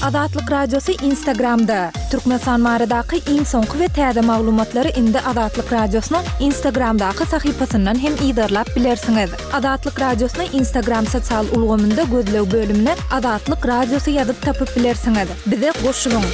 Azatlyk Radiosy Instagramda! Türkmenistan baradaky iň soňky we täze maglumatlary indi Azatlyk Radiosynyň Instagramdaky sahypasyndan hem yzarlap bilersiňiz. Azatlyk Radiosyny Instagram sosial ulgamynda gözleg bölümine Azatlyk Radiosy ýazyp tapyp bilersiňiz. Bize goşulyň!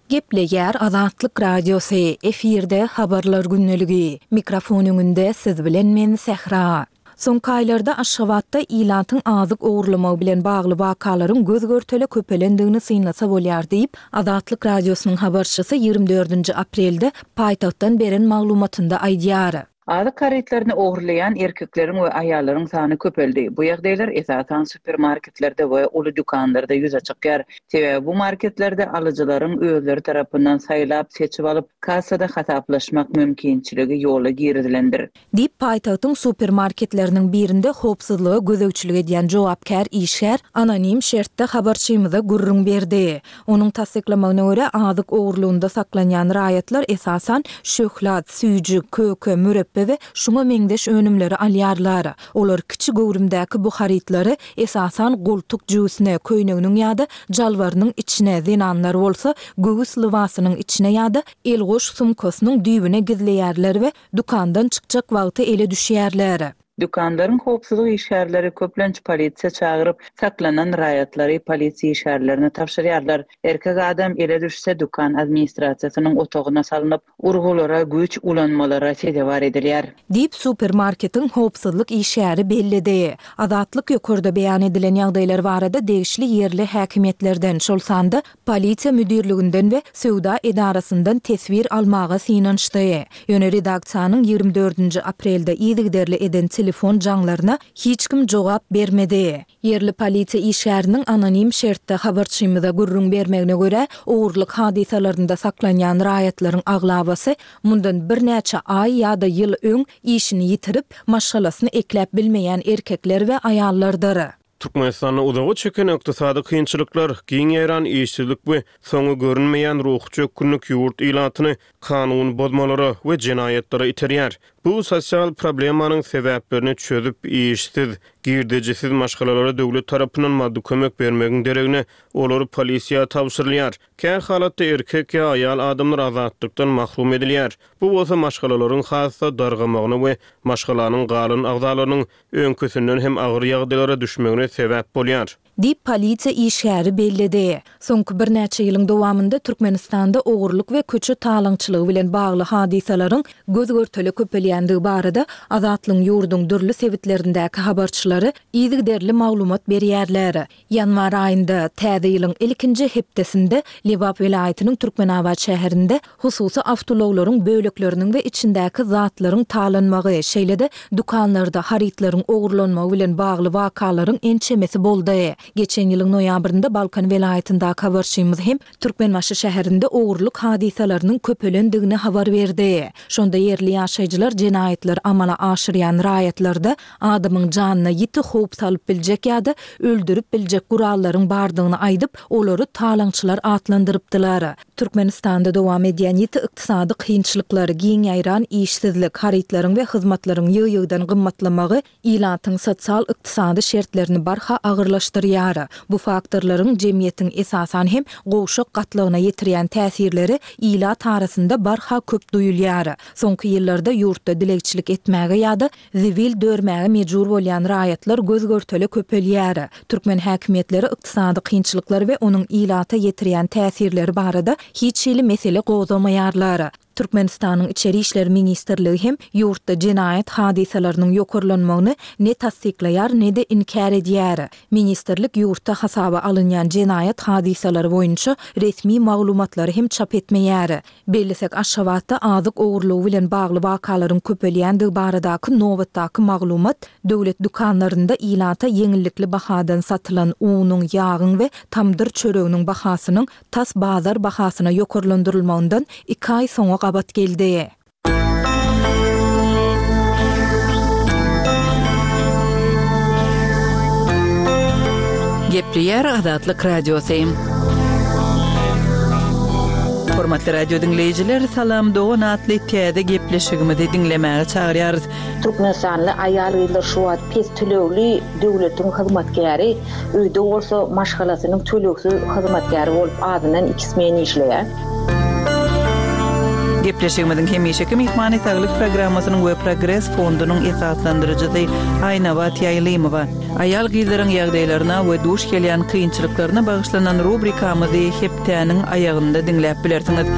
Gepleýär Azatlyk Radiosy, efirde Habarlar gündeligi. Mikrofon öňünde siz bilen men Sähra. Soňky aýlarda Aşgabatda ilatyň azyk ogurlamagy bilen bagly wakalaryň göz-görtele köpelendigini synlasa bolýar diýip, Azatlyk Radiosynyň habarçysy 24-nji aprelde paýtagtdan beren maglumatynda aýdýar. Azyk harytlaryny ogurlaýan erkekleriň we aýallaryň sany köpeldi. Bu ýagdaýlar esasan supermarketlerde we uly dükanlarda ýüze çykýar. Sebäbi bu marketlerde alyjylaryň özleri tarapyndan saýlap, seçip alyp, kassada hasaplaşmak mümkinçiligi ýola girizilendir. Diýip, paýtagtyň supermarketleriniň birinde howpsuzlyga gözegçilik edýän jogapkär işgär anonim şertde habarçymyza gürrüň berdi. Onuň tassyklamagyna görä, azyk ogurlygynda saklanýan raýatlar esasan şöhlat, süýji, köke, mürepbe we şuňa meňzeş önümleri alýarlar. Olar kiçi göwrümdäki bu harytlary esasan goltuk jübüsine, köýneginiň ýa-da jalbarynyň içine, zenanlar bolsa göwüs lybasynyň içine ýa-da elgoş sumkasynyň düýbüne gizleýärler we dükandan çykjak wagty ele düşýärler. Dükanlaryň howpsuzlyk işgärleri köplenç polisiýa çagyryp, saklanan raýatlary polisiýa işgärlerine tabşyrýarlar. Erkek adam ele düşse, dükan administrasiýasynyň otagyna salnyp, urgulara, güýç ulanmalara sezewar edilýär. Diýip, supermarketiň howpsuzlyk işgäri belledi. Azatlyk ýokarda beýan edilen ýagdaýlar barada degişli ýerli häkimiýetlerden, şol sanda Polisiýa müdirliginden we söwda edarasyndan teswir almaga synanyşdy. Ýöne redaksiýanyň 24-nji aprelde yzygiderli eden telefon jaňlaryna hiç kim jogap bermedi. Ýerli polisiýa işgäriniň anonim şertde habarçymyza gürrüň bermegine görä, ogurlyk hadysalarynda saklanýan raýatlaryň aglabasy mundan birnäçe aý ýa-da ýyl öň işini ýitirip, maşgalasyny ekläp bilmeýän erkekler we aýallardyr. Türkmenistanda uzaga çeken ykdysady kynçylyklar, giň ýaýran işsizlik we soňy görünmeýän ruhy çökgünlik ýurt ilatyny kanun bozmalara we jenaýatlara iterýär. Bu sosial problemanyň sebäplerini çözüp, işsiz, girdejisiz maşgalalara döwlet tarapyndan maddy kömek bermegiň deregine, olar polisiýa tabşyrylýar. Kä halatda erkek ýa aýal adamlar azatlykdan mahrum edilýär. Bu bolsa maşgalalaryň has-da dargamagyna we maşgalanyň galan agzalarynyň öňküsinden hem agyr ýagdaýlara düşmegine sebäp bolýar. Diýip, polisiýa işgäri belledi. Soňky birnäçe ýylyň dowamynda Türkmenistanda ogurlyk we köçe talaňçylygy bilen bagly hadysalaryň göz-görtele köpelýändigi barada Azatlygyň ýurduň dürli sebitlerindäki habarçylary yzygiderli maglumat berýärler. Ýanwar aýynda, täze ýylyň ilkinji hepdesinde Lebap welaýatynyň Türkmenabat şäherinde hususy awtoulaglaryň bölekleriniň we içindäki zatlaryň talanmagy, şeýle-de dükanlarda harytlaryň ogurlanmagy bilen bagly wakalaryň ençemesi boldy. Geçen ýylyň noýabrynda Balkan welaýatyndaky habarçymyz hem Türkmenbaşy şäherinde ogurlyk hadysalarynyň köpelendigini habar berdi. Şonda ýerli ýaşaýjylar jenaýatlary amala aşyrýan raýatlarda adamyň janyna ýiti howp salyp biljek ýa-da öldürip biljek gurallaryň bardygyny aýdyp, olary talaňçylar atlandyrypdylar. Türkmenistanda dowam edýän ýiti ykdysady kynçylyklar, giň ýaýran işsizlik, harytlaryň we hyzmatlaryň ýygy-ýygydan gymmatlamagy ilatyň sosial-ykdysady şertlerini barha agyrlaşdyrýar. Bu faktorlaryň jemgyýetiň esasan hem gowşak gatlagyna ýetirýän täsirleri ilat arasynda barha köp duýulýar. Soňky ýyllarda ýurtda dilegçilik etmäge ýa-da zibil dörmäge mejbur bolýan raýatlar göz-görtele köpelýär. Türkmen häkimiýetleri ykdysady kynçylyklar we onuň ilata ýetirýän täsirleri barada hiç hili mesele gozgamaýarlar. Türkmenistanyň Içeri işler ministrligi hem ýurtda jenaýat hadysalarynyň ýokarlanmagyny ne tassyklaýar, ne-de inkär edýär. Ministrlik ýurtda hasaba alynýan jenaýat hadysalary boýunça resmi maglumatlary hem çap etmeýär. Bellesek, Aşgabatda azyk ogurlygy bilen bagly wakalaryň köpelýändigi baradaky nobatdaky maglumat döwlet dükanlarynda ilata ýeňillikli bahadan satylan unuň, ýagyň we tamdyr çöreginiň bahasynyň tas bazar bahasyna ýokarlandyrylmagyndan iki aý soňa gabat geldi. Gepleýär Azatlyk Radiosy. Hormatly radio diňleýjiler, Salam dogan atly täze gepleşigimizi diňlemäge çagyrýarys. Türkmenistanly aýal-gyzlar şu wagt pes tölegli döwletiň hyzmatkäri, öýde bolsa maşgalasynyň tölegsiz hyzmatkäri bolup azyndan iki smen işleýär. Gepleşigimiziň hemişeki myhmany Saglyk programmasynyň we Progres fondunyň esaslandyryjysy Aýnabat Ýaýlymowa. Aýal-gyzlaryň ýagdaýlaryna we duş gelýän kynçylyklaryna bagyşlanan rubrikamyzy hepdäniň aýagynda diňläp bilersiňiz.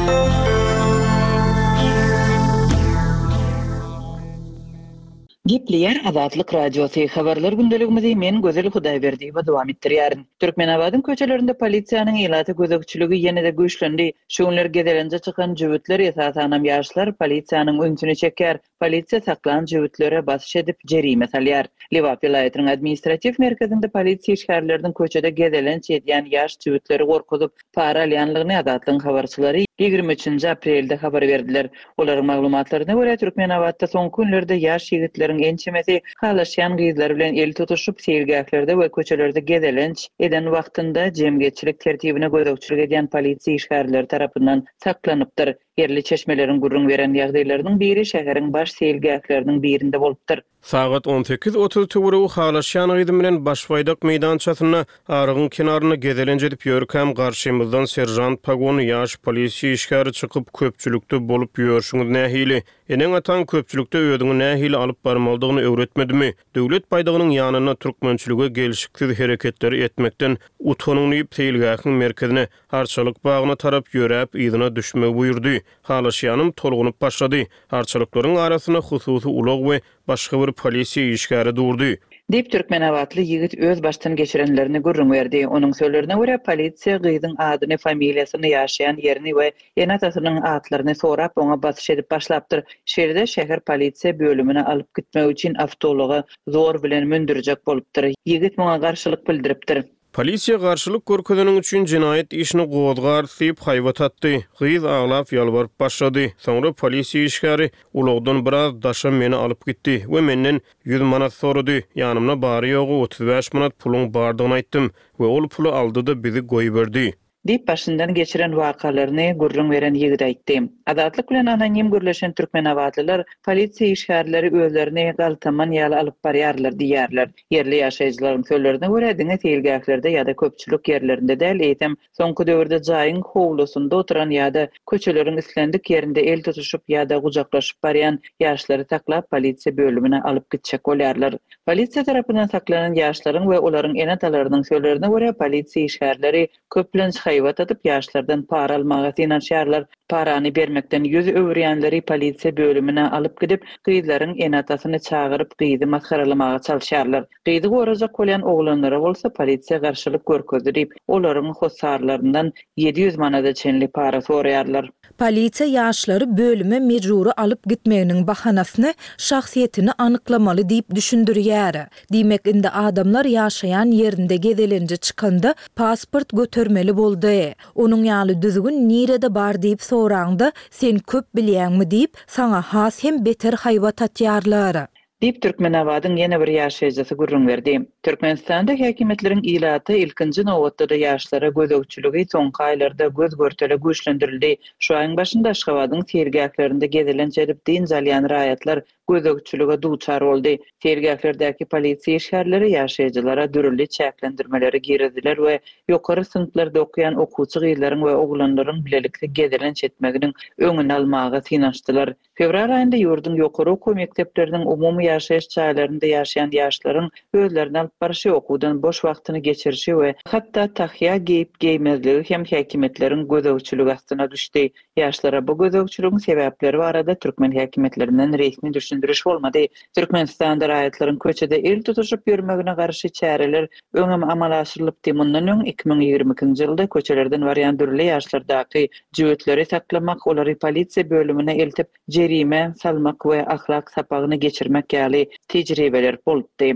Gepleýär Azatlyk Radiosy, Habarlar gündeligimizi men Gözel Hudaýberdiýewa dowam etdirýärin. Türkmenabadyň köçelerinde polisiýanyň ilata gözegçiligi ýene-de güýçlendi. Şu günler gezelenje çykan jübütler, esasanam ýaşlar polisiýanyň ünsüni çekýär. Polisiýa saklan jübütlere basyş edip, jerime salýar. Lebap welaýatynyň administratiw merkezinde polisiýa işgärleriniň köçede gezelenç edýän ýaş jübütleri gorkuzyp, para alýanlygyny Azatlygyň habarçylary 23-nji aprelde habar berdiler. Olaryň maglumatlaryna görä, Türkmenabatda soňky günlerde ýaş ýigitleriň ençemesi halaşýan gyzlary bilen el tutuşyp, seýilgählerde we köçelerde gezelenç eden wagtynda jemgyýetçilik tertibine gözegçilik edýän polisiýa işgärleri tarapyndan saklanypdyr. Ýerli çeşmeleriň gürrüň beren ýagdaýlarynyň biri şäheriň baş seýilgähleriniň birinde bolupdyr. Sagat 18.30 töweregi halaşýan gyzym bilen Başbaýdak meýdançasynda arygyň kenarynda gezelenç edip ýörkäm, garşymyzdan seržant pagonly ýaş polisiýa işgäri çykyp, Köpçülikde bolup ýörşüňiz nähili? Eneň-ataň köpçülikde özüňi nähili alyp barmalydygyny öwretmedimi? Döwlet baýdagynyň ýanynda türkmençilige gelşiksiz hereketleri etmekden utanyň diýip, seýilgähiň merkezine, Arçalyk bagyna tarap ýöräp, yzyna düşmegi buýurdy. Halaşýanym tolgunyp başlady. Arçalyklaryň arasynda hususy ulag we başga bir polisiýa işgäri durdy. Diýip, türkmenabatly ýigit öz başdan geçirenlerini gürrüň berdi. Onuň sözlerine görä, polisiýa gyzyň adyny, familiýasyny, ýaşaýan ýerini we ene-atasynyň atlaryny sorap, oňa basyş edip başlapdyr. Şeýle-de, şäher polisiýa bölümine alyp gitmek üçin awtoulaga zor bilen mündürjek bolupdyr. Ýigit muňa garşylyk bildiripdir. Polisiýa garşylyk görkezeniň üçin jenaýat işini gozgarys diýip, haýbat atdy. Gyz aglap ýalbaryp başlady. Soňra polisiýa işgäri ulagdan biraz daşa meni alyp gitdi we menden 100 manat sorady. Ýanymda bary-ýogy 35 manat puluň bardygyny aýtdym we ol puly aldy-da bizi goýberdi. Diýip, başyndan geçiren wakalaryny gürrüň beren ýigit aýtdy. Azatlyk bilen anonim gürleşen türkmenabatlylar polisiýa işgärleri özlerini galtaman ýaly alyp barýarlar diýýärler. Ýerli ýaşaýjylaryň sözlerine görä, diňe seýilgählerde ýa-da köpçülik ýerlerinde däl, eýsem, soňky döwürde jaýyň howlusynda oturan ýa-da köçeleriň islendik ýerinde el tutuşyp ýa-da gujaklaşyp barýan ýaşlary saklap, polisiýa bölümine alyp gitjek bolýarlar. Polisiýa tarapyndan saklanan ýaşlaryň we olaryň ene-atalarynyň sözlerine görä, polisiýa işgärleri köplenç haýbat atyp, ýaşlardan para almaga synanyşýarlar. Parany bermekden ýüz öwürýänleri polisiýa bölümine alyp gidip, gyzlaryň ene-atasyny çagyryp, gyzy masgaralamaga çalyşýarlar. Gyzy gorajak bolýan oglanlara bolsa polisiýa garşylyk görkezdi diýip, olaryň hossarlaryndan 700 manada çenli para soraýarlar. Polisiýa ýaşlary bölüme mejbury alyp gitmeginiň bahanasyny şahsyýetini anyklamaly diýip düşündirýär. Diýmek, indi adamlar ýaşaýan ýerinde gezelenje çykanda pasport götermeli boldy. Onuň ýaly düzgün nirede bar diýip soraňda, sen köp bilýäňmi diýip, saňa has hem beter haýbat atýarlar. Diýip, Türkmenabadyň ýene bir ýaşaýjysy gürrüň berdi. Türkmenistanda häkimiýetleriň ilata, ilkinji nobatda-da ýaşlara gözegçiligi soňky aýlarda göz-görtele güýçlendirildi. Şu aýyň başynda Aşgabadyň seýilgählerinde gezelenç edip dynç alýan raýatlar gözegçilige duçar boldy. Seýilgählerdäki polisiýa işgärleri ýaşaýjylara dürli çäklendirmeleri girizdiler we ýokary synplarda okaýan okuwçy gyzlaryň we oglanlaryň bilelikde gezelenç etmeginiň öňüni almaga synanyşdylar. Fewral aýynda ýurduň ýokary okuw mekdepleriniň umumy ýaşaýyş jaýlarynda ýaşaýan ýaşlaryň özlerini alyp barşy, okuwdan boş wagtyny geçirişi we hatda tahýa geýip-geýmezligi hem häkimiýetleriň gözegçiligi astyna düşdi. Ýaşlara bu gözegçiligiň sebäpleri barada türkmen häkimiýetlerinden resmi düşündiriş bolmady. Türkmenistanda raýatlaryň köçede el tutuşyp ýörmegine garşy çäreler öňem amala aşyrylypdy. Mundan öň, 2022-nji ýylda köçelerden barýan dürli ýaşlardaky Jübütleri saklamak, olary polisiýa bölümine eltip, jerime salmak we ahlak sapagyny geçirmek ýaly tejribeler bolupdy.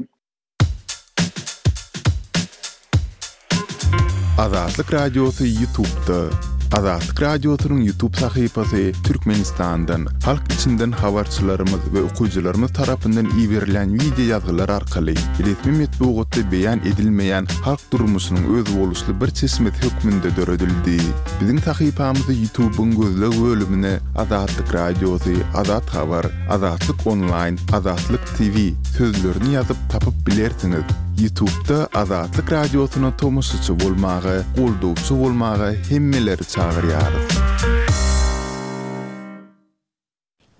Azatlyk Radiosy Ýutubda. Azatlyk Radiosynyň YouTube sahypasy Türkmenistandan, halk içinden habarçylarymyz we okyjylarymyz tarapyndan iberilýän wideo ýazgylar arkaly resmi metbugatda beýan edilmeýän halk durmuşynyň özboluşly bir çeşmesi hökmünde döredildi. Biziň sahypamyzy YouTube-yň gözleg bölümine Azatlyk Radiosy, Azat Habar, Azatlyk Onlaýn, Azatlyk TV sözlerini ýazyp tapyp bilersiňiz. Ýutubda Azatlyk Radiosyna tomaşaçy bolmaga, goldawçy bolmaga hemmeleri çagyrýarys.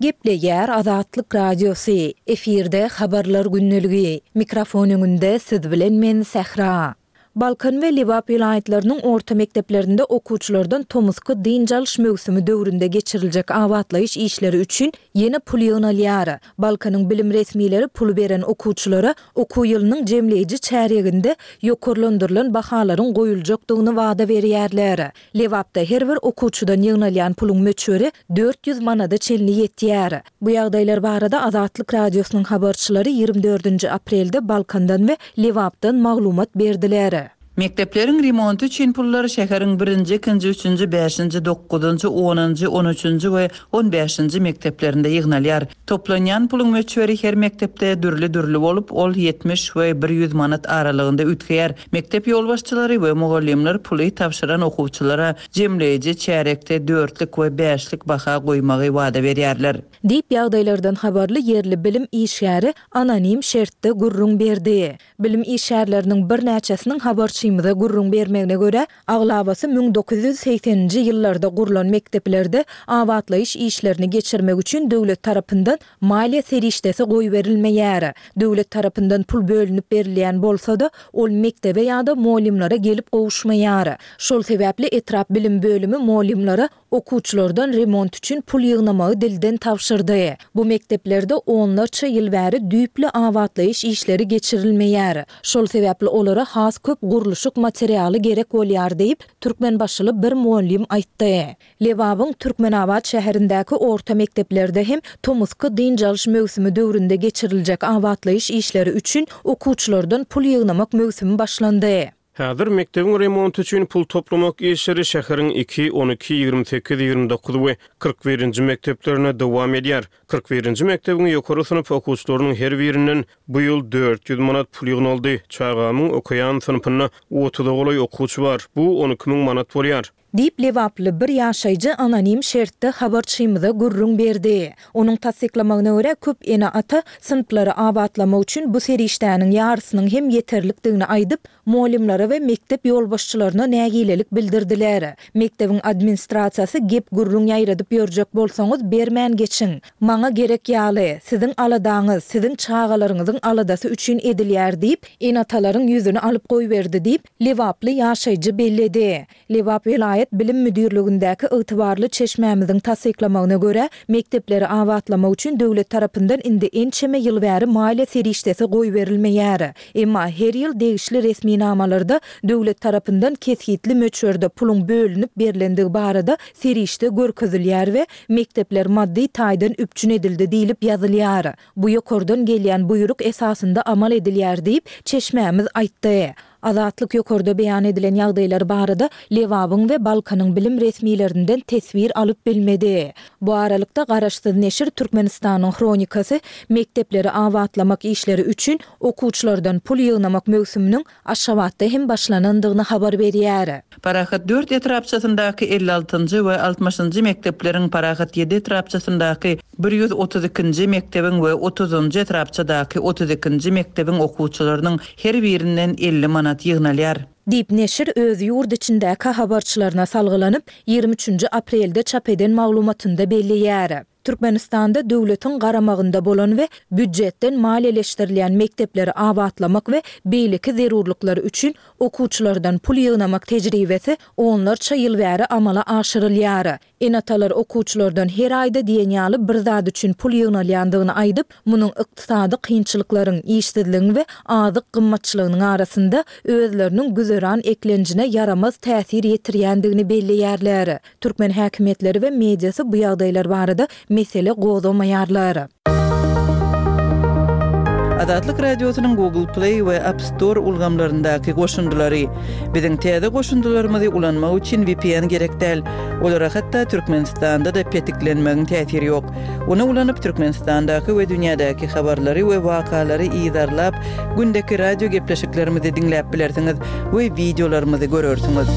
Gepleýär Azatlyk Radiosy, efirde Habarlar gündeligi, mikrofon öňünde siz bilen men Sähra. Balkan we Lebap welaýatlarynyň orta mekdeplerinde okuwçylardan tomusky dynç alyş möwsümi döwründe geçiriljek abatlaýyş işleri üçin ýene pul ýygnalýar. Balkanyň bilim resmileri puly beren okuwçylara okuw ýylynyň jemleýji çärýeginde ýokarlandyrylan bahalaryň goýuljakdygyny wada berýärler. Lebapda her bir okuwçydan ýygnalýan puluň möçberi 400 manada çenli ýetýär. Bu ýagdaýlar barada Azatlyk Radiosynyň habarçylary 24-nji aprelde Balkandan we Lebapdan maglumat berdiler. Mekdepleriň remonty üçin pullar şäheriň birinji, ikinji, üçünji, bäşinji, dokuzynjy, onunjy, on üçünji we on bäşinji mekdeplerinde ýygnalýar. Toplanýan puluň möçberi her mekdepde dürli-dürli bolup, ol 70 we 100 manat aralygynda üýtgeýär. Mekdep ýolbaşçylary we mugallymlar puly tabşyran okuwçylara jemleýji çärýekde dörtlük we bäşlik baha goýmagy wada berýärler. Diýip, ýagdaýlardan habarly ýerli bilim işgäri anonim şertde gürrüň berdi. Bilim işgärleriniň birnäçesiniň habarçymyza gürrüň bermegine görä, aglabasy 1980-nji ýyllarda gurlan mekdeplerde abatlaýyş işlerini geçirmek üçin döwlet tarapyndan maliýe serişdesi goýberilmeýär. Döwlet tarapyndan pul bölünip berilýän bolsa-da, ol mekdebe ýa-da mugallymlara gelip gowuşmaýar. Şol sebäpli etrap bilim bölümi mugallymlara Okuwçylardan remont üçin pul ýygnamagy dilden tabşyrdy. Bu mekdeplerde onlarça ýyl bäri düýpli abatlaýyş işleri geçirilmeýär. Şol sebäpli olara has köp gurluşyk materialy gerek bolýar diýip, türkmenbaşyly bir mugallym aýtdy. Lebabyň Türkmenabat şäherindäki orta mekdeplerde hem tomusky dynç alyş möwsümi döwründe geçiriljek abatlaýyş işleri üçin okuwçylardan pul ýygnamak möwsümi başlandy. Häzir mekdebiň remonty üçin pul toplamak işleri şäheriň iki, 12, 28, 29 we 41-nji mekdeplerinde dowam edýär. 41-nji mekdebiň ýokary synp okuwçylarynyň her birinden bu ýyl 400 manat pul ýygnaldy. Çagamyň okaýan synpynda otuza golaý okuwçy bar. Bu 12 müň manat bolýar. Diýip, lebaply bir ýaşaýjy anonim şertde habarçymyza gürrüň berdi. Onuň tassyklamagyna görä, köp ene-ata synplary abatlamak üçin bu serişdäniň ýarysynyň hem ýeterlikdigini aýdyp, mugallymlara we mekdep ýolbaşçylaryna nägilelik bildirdiler. Mekdebiň administrasiýasy gep-gürrüň ýaýradyp ýörjek bolsaňyz, bermän geçiň. Maňa gerek ýaly, siziň aladaňyz, siziň çagalaryňyzyň aladasy üçin edilýär diýip, ene-atalaryň ýüzüni alyp goýberdi diýip, lebaply ýaşaýjy belledi. Lebap welaýat bilim müdirligindäki ygtybarly çeşmämiziň tassyklamagyna görä, mekdepleri abatlamak üçin döwlet tarapyndan indi ençeme ýyl bäri maliýe serişdesi goýberilmeýär. Emma her ýyl degişli resminamalarda döwlet tarapyndan kesgitli möçberde puluň bölünip berlendigi barada serişde görkezilýär we mekdepler maddy taýdan üpjün edildi diýlip ýazylýar. Bu ýokardan gelýän buýruk esasynda amal edilýär diýip, çeşmämiz aýtdy. Azatlyk ýokarda beýan edilen ýagdaýlar barada Lebabyň we Balkanyň bilim resmilerinden teswir alyp bilmedi. Bu aralykda, garaşsyz neşir Türkmenistanyň Hronikasy mekdepleri abatlamak işleri üçin okuwçylardan pul ýygnamak möwsüminiň Aşgabatda hem başlanandygyny habar berýär. Parahat dört etrapçasyndaky 56-njy we altmyşynjy mekdepleriň, Parahat ýedi etrapçasyndaky 132-nji mekdebiň we otuzynjy etrapçadaky 32-nji mekdebiň okuwçylarynyň her birinden 50 manat ýygnalýar. Diýip, neşir öz ýurt içindäki habarçylaryna salgylanyp, 23-nji aprelde çap eden maglumatynda belleýär. Türkmenistanda döwletiň garamagynda bolan we býujetden maliýeleşdirilýän mekdepleri abatlamak we beýleki zerurlyklar üçin okuwçylardan pul ýygnamak tejribesi onlarça ýyl bäri amala aşyrylýar. Ene-atalar okuwçylardan her aýda diýen ýaly bir zat üçin pul ýygnalýandygyny aýdyp, munuň ykdysady kynçylyklaryň, işsizligiň we azyk gymmatçylygynyň arasynda özleriniň güzeran eklenjine ýaramaz täsir ýetirýändigini belleýärler. Türkmen häkimiýetleri we mediasy bu ýagdaýlar barada mesele gozgamaýarlar. Azatlyk Radiosynyň Google Play we App Store ulgamlaryndaky goşundylary. Biziň täze goşundylarymyzy ulanmak üçin vpn gerek däl. Olara hatda Türkmenistanda-da petiklenmegiň täsiri ýok. Ony ulanyp Türkmenistandaky we dünýädäki habarlary we wakalary yzarlap, gündeki radio gepleşiklerimizi diňläp bilersiňiz we wideolarymyzy görersiňiz.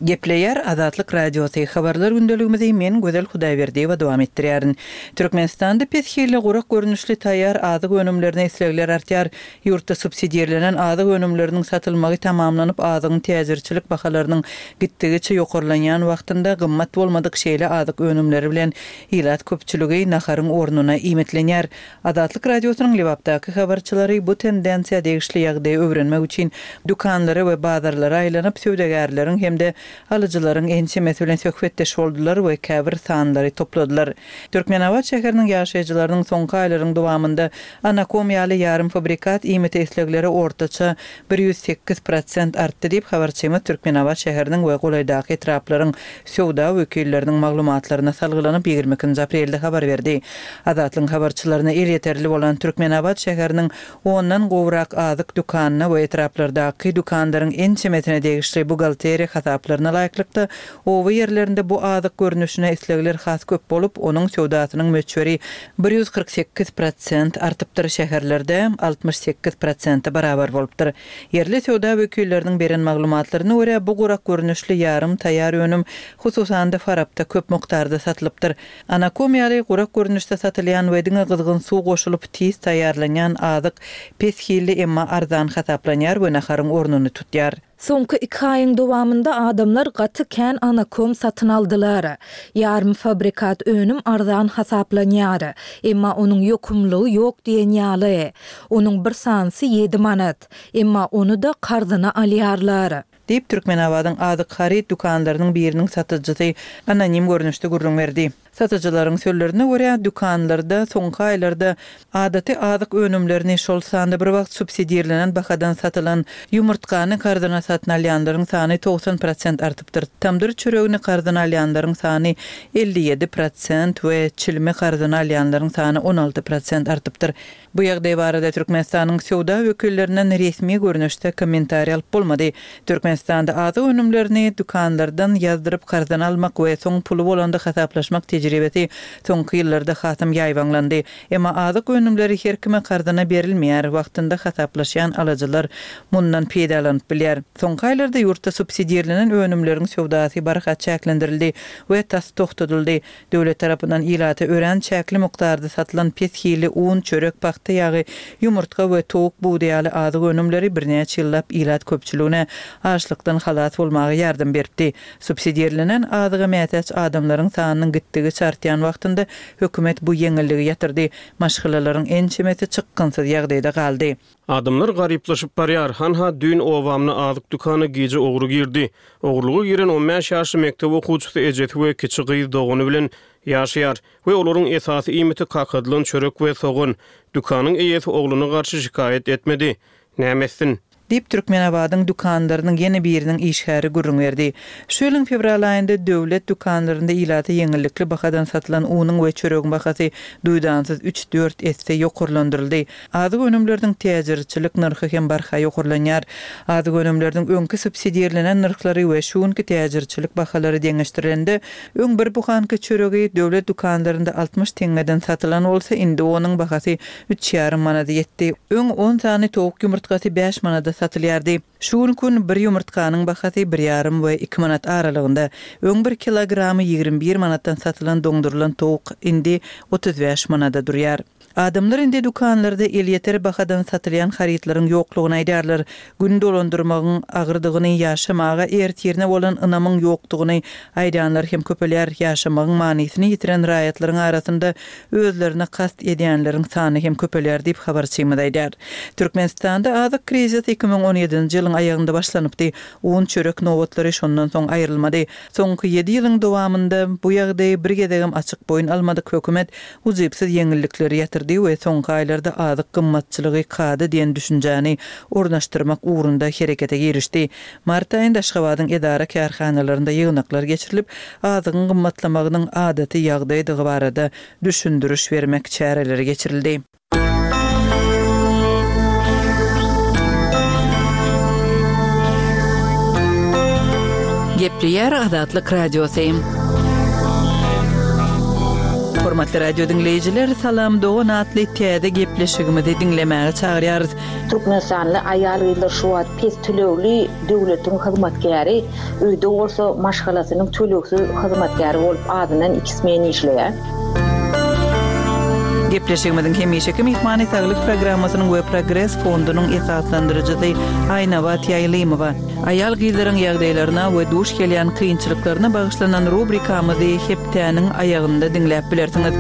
Gepleýär Azatlyk Radiosy, Habarlar gündeligimizi men Gözel Hudaýberdiýewa dowam etdirýärin. Türkmenistanda pes hilli gurak görnüşli taýýar azyk önümlerine islegler artýar. Ýurtda subsidirlenen azyk önümleriniň satylmagy tamamlanyp, azygyň täjirçilik bahalarynyň gitdigiçe ýokarlanýan wagtynda gymmat bolmadyk şeýle azyk önümleri bilen ilat köpçüligi naharyň ornuna iýmitlenýär. Azatlyk Radiosynyň Lebapdaky habarçylary bu tendensiýa degişli ýagdaýy öwrenmek üçin dükanlara we bazarlara aýlanyp, söwdagärleriň hem-de alyjylaryň ençemesi bilen söhbetdeş boldular we käbir sanlary topladylar. Türkmenabat şäheriniň ýaşaýjylarynyň soňky aýlaryň dowamynda anakom ýaly ýarym fabrikat iýmite islegleri ortaça 108 prosent artdy diýip, habarçymyz Türkmenabat şäheriniň we golaýdaky etraplaryň söwda wekilleriniň maglumatlaryna salgylanyp, 22-nji aprelde habar berdi. Azatlygyň habarçylaryna elýeterli bolan Türkmenabat şäheriniň ondan gowrak azyk dükanyna we etraplardaky dükanlaryň ençemesine degişli buhgalteriýa hasaplaryna laýyklykda, oba ýerlerinde bu azyk görnüşine islegler has köp bolup, onuň söwdasynyň möçberi 148 prosent artypdyr, şäherlerde 68 prosente barabar bolupdyr. Ýerli söwda wekilleriniň beren maglumatlaryna görä, bu gurak görnüşli ýarym taýýar önüm, hususan-da, Farapda köp mukdarda satylypdyr. Anakom ýaly gurak görnüşde satylýan we diňe gyzgyn suw goşulyp tiz taýýarlanýan azyk pes hilli, emma arzan hasaplanýar we naharyň ornuny tutýar. Soňky iki aýyň dowamynda adamlar gaty kän anakom satyn aldylar. Ýarym fabrikat önüm arzan hasaplanýar. Emma onuň ýokumlygy ýok diýen ýaly. Onuň bir sanysy ýedi manat. Emma ony-da karzyna alýarlar. Diýip, Türkmenabadyň azyk haryt dükanlarynyň biriniň satyjysy anonim görnüşde gürrüň berdi. Satyjylaryň sözlerine görä, dükanlarda soňky aýlarda adaty azyk önümlerini, şol sanda bir wagt subsidirlenen bahadan satylan ýumurtgany karzyna satyn alýanlaryň sany 90 prosent artypdyr, tamdyr çöregini karzyna alýanlaryň sany 57 prosent we çilimi karzyna alýanlaryň sany 16 prosent artypdyr. Bu ýagdaý barada Türkmenistanyň söwda wekillerinden resmi görnüşde kommentariý alyp bolmady. Türkmenistanda azyk önümlerini dükanlardan ýazdyryp karzyna almak we soň puly bolanda hasaplaşmak tejribesi soňky ýyllarda hasam ýaýbaňlandy. Emma azyk önümleri her kime karzyna berilmeýär, wagtynda hasaplaşýan alyjylar mundan peýdalanyp bilýär. Soňky aýlarda ýurtda subsidirlenen önümleriň söwdasy barha çäklendirildi we tas togtadyldy. Döwlet tarapyndan ilata örän çäkli mukdarda satylan pes hilli un, çörek, pagta ýagy, ýumurtga we towuk budy ýaly azyk önümleri birnäçe ýyllap ilat köpçüligine açlykdan halas bolmaga ýardam beripdi. Subsidirlenen azyga mätäç adamlaryň sanynyň gitdigiçe artýan wagtynda hökümet bu ýeňilligi ýatyrdy. Maşgalalaryň ençemesi çykgynsyz ýagdaýda galdy. Adamlar garyplaşyp barýar. Hanha, düýn obamda azyk dükana gije ogry girdi. Ogurlyga giren on bäş ýaşly mekdep okuwçysy ejesi we kiçi gyz dogany bilen ýaşaýar we olaryň esasy iýmiti kakadylan çörek we sogan. Dükanyň eýesi ogluna garşy şikaýat etmedi. Näme etsin? Diýip, Türkmenabadyň dükanlarynyň ýene biriniň işgäri gürrüň berdi. Şu ýylyň fewral aýynda döwlet dükanlarynda ilata ýeňillikli bahadan satylan unuň we çöregiň bahasy duýdansyz üç-dört esse ýokarlandyryldy. Azyk önümleriniň täjirçilik nyrhy hem barha ýokarlanýar. Azyk önümleriniň öňki subsidirlenen nyrhlary we şu günki täjirçilik bahalary deňeşdirilende, öň bir buhanka çöregi döwlet dükanlarynda 60 teňňeden satylan bolsa, indi onuň bahasy üç ýarym manada ýetdi. Öň on sany towuk ýumurtgasy bäş manada satylýardy. Şu günki gün bir ýumurtganyň bahasy bir ýarym we iki manat aralygynda. Öň bir kilogramy 21 manatdan satylan doňdurylan towuk indi 35 manada durýar. Adamlar indi dükanlarda elýeter bahadan satylýan harytlaryň ýoklugyny aýdýarlar. Gün dolandyrmagyň agyrdygyny, ýaşamaga ertirine bolan ynamyň ýokdugyny aýdýanlar hem köpelýär. Ýaşamagyň manysyny ýitiren raýatlaryň arasynda özlerine kast edýänleriň sany hem köpelýär diýip, habarçymyz aýdýar. Türkmenistanda azyk krizisi 2017-nji ýylyň aýagynda başlanypdy. Un, çörek nobatlary şondan soň aýrylmady. Soňky ýedi ýylyň dowamynda bu ýagdaýy bir gezegem açyk boýun almadyk hökümet ujypsyz ýeňillikleri ýatyrdy. ýetirdi we soňky aýlarda azyk gymmatçylygy kada diýen düşünjäni ornaşdyrmak ugrunda herekete girişdi. Mart aýynda Aşgabadyň edara-kärhanalarynda ýygnaklar geçirilip, azygyň gymmatlamagynyň adaty ýagdaýdygy barada düşündiriş bermek çäreleri geçirildi. Gepleýär Azatlyk Radiosy. Hormatly radio diňleýjiler, Salam dogan atly täze gepleşigimizi diňlemäge çagyrýarys. Türkmenistanly aýal-gyzlar şu wagt pes tölegli döwletiň hyzmatkäri, öýde bolsa maşgalasynyň tölegsiz hyzmatkäri bolup azyndan iki smen işleýär. Gepleşigimiziň hemişeki myhmany Saglyk programmasynyň we Progres fondunyň esaslandyryjysy Aýnabat Ýaýlymowa. Aýal-gyzlaryň ýagdaýlaryna we duş gelýän kynçylyklaryna bagyşlanan rubrikamyzy hepdäniň aýagynda diňläp bilersiňiz.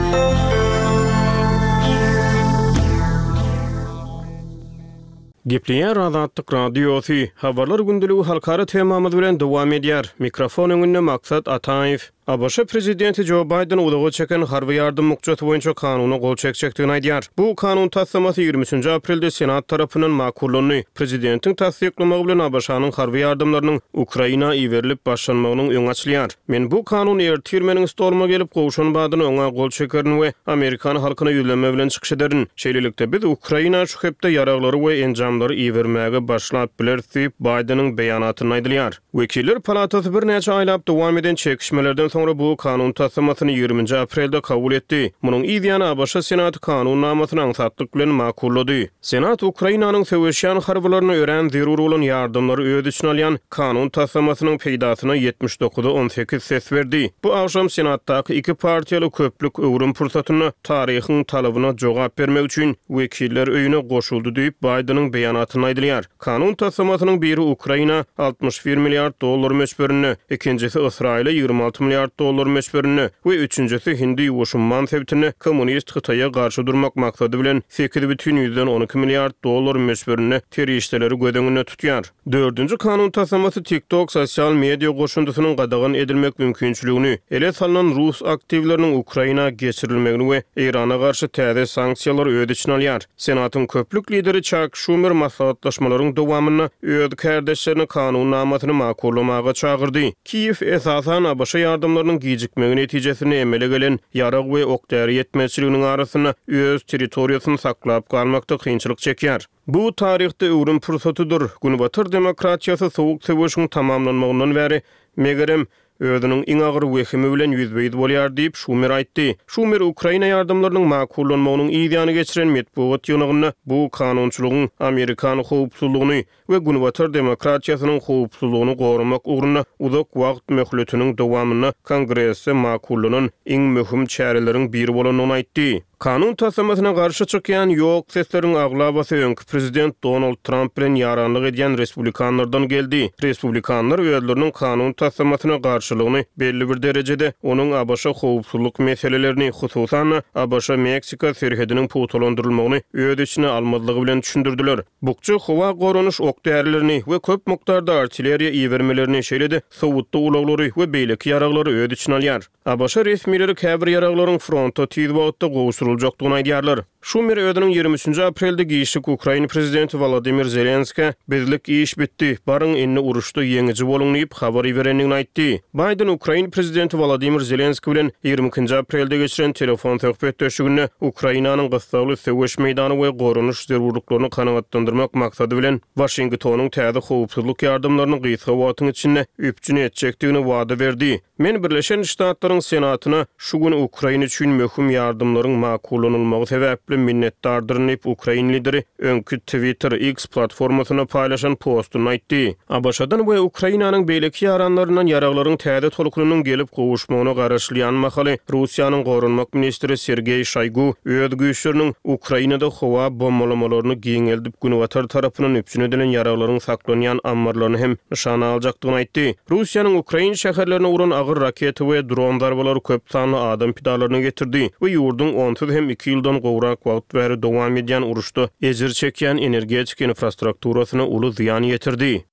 Gepleýär Azatlyk Radiosy, Habarlar gündeligi halkara temamyz bilen dowam edýär. Mikrofon öňünde Maksat Ataýew. ABŞ prezidenti Jo Baýden uzaga çeken harby ýardam bukjasy boýunça kanuna gol çekjekdigini aýdýar. Bu kanun taslamasy 23-nji aprelde Senat tarapyndan makullandy. Prezidentiň tassyklamagy bilen ABŞ-nyň harby ýardamlarynyň Ukraina iberilip başlanmagynyň öňi açylýar. Men bu kanun ertir meniň stoluma gelip gowşan badyna oňa gol çekerin we amerikan halkyna ýüzlenme bilen çykyş ederin. Şeýlelikde, biz Ukraina şu hepde ýaraglary we enjamlary ibermäge başlap bileris diýip, Baýdeniň beýanatynda aýdylýar. Wekiller palatasy birnäçe aýlap dowam eden çekişmelerden soňra bu kanun taslamasyny ýigriminji aprelde kabul etdi. Munuň yz ýany ABŞ Senaty kanun namasyny aňsatlyk bilen makullady. Senat Ukrainanyň söweşýän harbylaryna örän zerur bolan ýardamlary öz içine alýan kanun taslamasynyň peýdasyna 79-a 18 ses berdi. Bu agşam Senatdaky iki partiýaly köplük öwrüm pursatynda taryhyň talabyna jogap bermek üçin Wekiller öýüne goşuldy diýip, Baýdeniň beýanatynda aýdylýar. Kanun taslamasynyň biri Ukraina 61 milliard dollar möçberinde, ikinjisi Ysraýyla 26 milliard dollar möçberinde we üçünjisi Hindi-Ýuwaş umman sebitinde kommunist Hytaýa garşy durmak maksady bilen 8,12 milliard dollar möçberinde serişdeleri göz öňünde tutýar. Dördünji kanun taslamasy TikTok sosial media goşundysynyň gadagan edilmek mümkinçiligini, ele salnan rus aktiwleriniň Ukraina geçirilmegini we Eýrana garşy täze sanksiýalary öz içine alýar. Senatyň köplük lideri Çak Şumer maslahatlaşmalaryň dowamynda öz kärdeşlerini kanun namasyny makullamaga çagyrdy. Kiýew, esasan, ABŞ ýardamlarynyň gijikmegi netijesinde emele gelen ýarag we ok-däri ýetmezçiliginiň arasynda öz territoriýasyny saklap galmakda kynçylyk çekýär. Bu taryhda öwrüm pursatydyr. Günbatar demokratiýasy Sowuk söweşiň tamamlanmagyndan bäri, megerem, özüniň iň agyr wehimi bilen ýüzbe-ýüz bolýar diýip, Şumer aýtdy. Şumer Ukraina ýardamlarynyň makullanmagynyň yz ýany geçiren metbugat ýygnagynda bu kanunçylygyň amerikan howpsuzlygyny we günbatar demokratiýasynyň howpsuzlygyny goramak ugrunda uzak wagt möhletiniň dowamynda Kongresde makullanan iň möhüm çäreleriň biri bolandygyny aýtdy. Kanun taslamasyna garşy çykýan ýok sesleriň aglabasy öňki prezident Donald Tramp bilen ýaranlyk edýän respublikanlardan geldi. Respublikanlar özleriniň kanun taslamasyna garşylygyny belli bir derejede onuň ABŞ howpsuzlyk meselelerini, hususan-da, ABŞ-Meksika serhediniň pugtalandyrylmagyny öz içine almazlygy bilen düşündirdiler. Bukja howa goranyş ok-därilerini we köp mukdarda artilleriýa ibermelerini, şeýle-de sowutly ulaglary we beýleki ýaraglary öz içine alýar. ABŞ resmileri käbir ýaraglaryň fronta tiz wagtda gowşuryljakdygyny aýdýarlar. Şumer özüniň 23-nji aprelde giçlik ukrain prezidenti Wolodymyr Zelenskä, Bizlik iş bitdi, baryň indi uruşda ýeňiji boluň diýip habar iberendigini aýtdy. Baýden ukrain prezidenti Wolodymyr Zelenski bilen 22-nji aprelde geçiren telefon söhbetdeşliginde Ukrainanyň gyssagly söweş meýdany we goranyş zerurlyklaryny kanagatlandyrmak maksady bilen Waşingtonyň täze howpsuzlyk ýardamlaryny gysga wagtyň içinde üpjün etjekdigini wada berdi. Men Birleşen Ştatlaryň Senatyna şu gün Ukraina üçin möhüm ýardamlaryň makullanylmagy sebäpli minnetdardyryn diýip, ukrain lideri öňki Twitter, X, platformasynda paýlaşan postunda aýtdy. ABŞ-dan we Ukrainanyň beýleki ýaranlaryndan ýaraglaryň täze tolkunynyň gelip gowuşmagyna garaşylýan mahaly, Russiýanyň goranmak ministri Sergeý Şoýgu öz güýçleriniň Ukrainada howa bombalamalaryny giňeldip, Günbatar tarapyndan üpjün edilen ýaraglaryň saklanýan ammarlaryny hem nyşana aljakdygyny aýtdy. Russiýanyň ukrain şäherlerine uran agyr raketa we dron zarbalary köp sanly adam pidalaryna getirdi we ýurduň onsuz hem iki ýyldan gowrak wagt bäri dowam edýän uruşda ejir çekýän energetika infrastrukturasyna uly zyýan ýetirdi.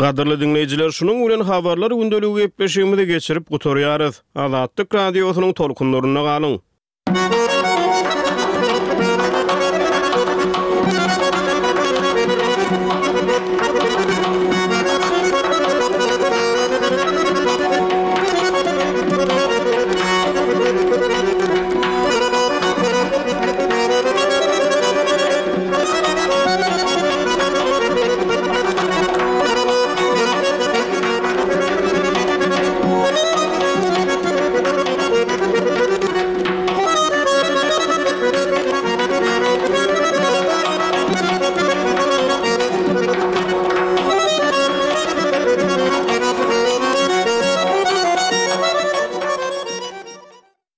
Gadyrly diňleýjiler, şunuň bilen Habarlar gündeligi gepleşigimizi geçirip gutarýarys. Azatlyk Radiosynyň tolkunlarynda galyň!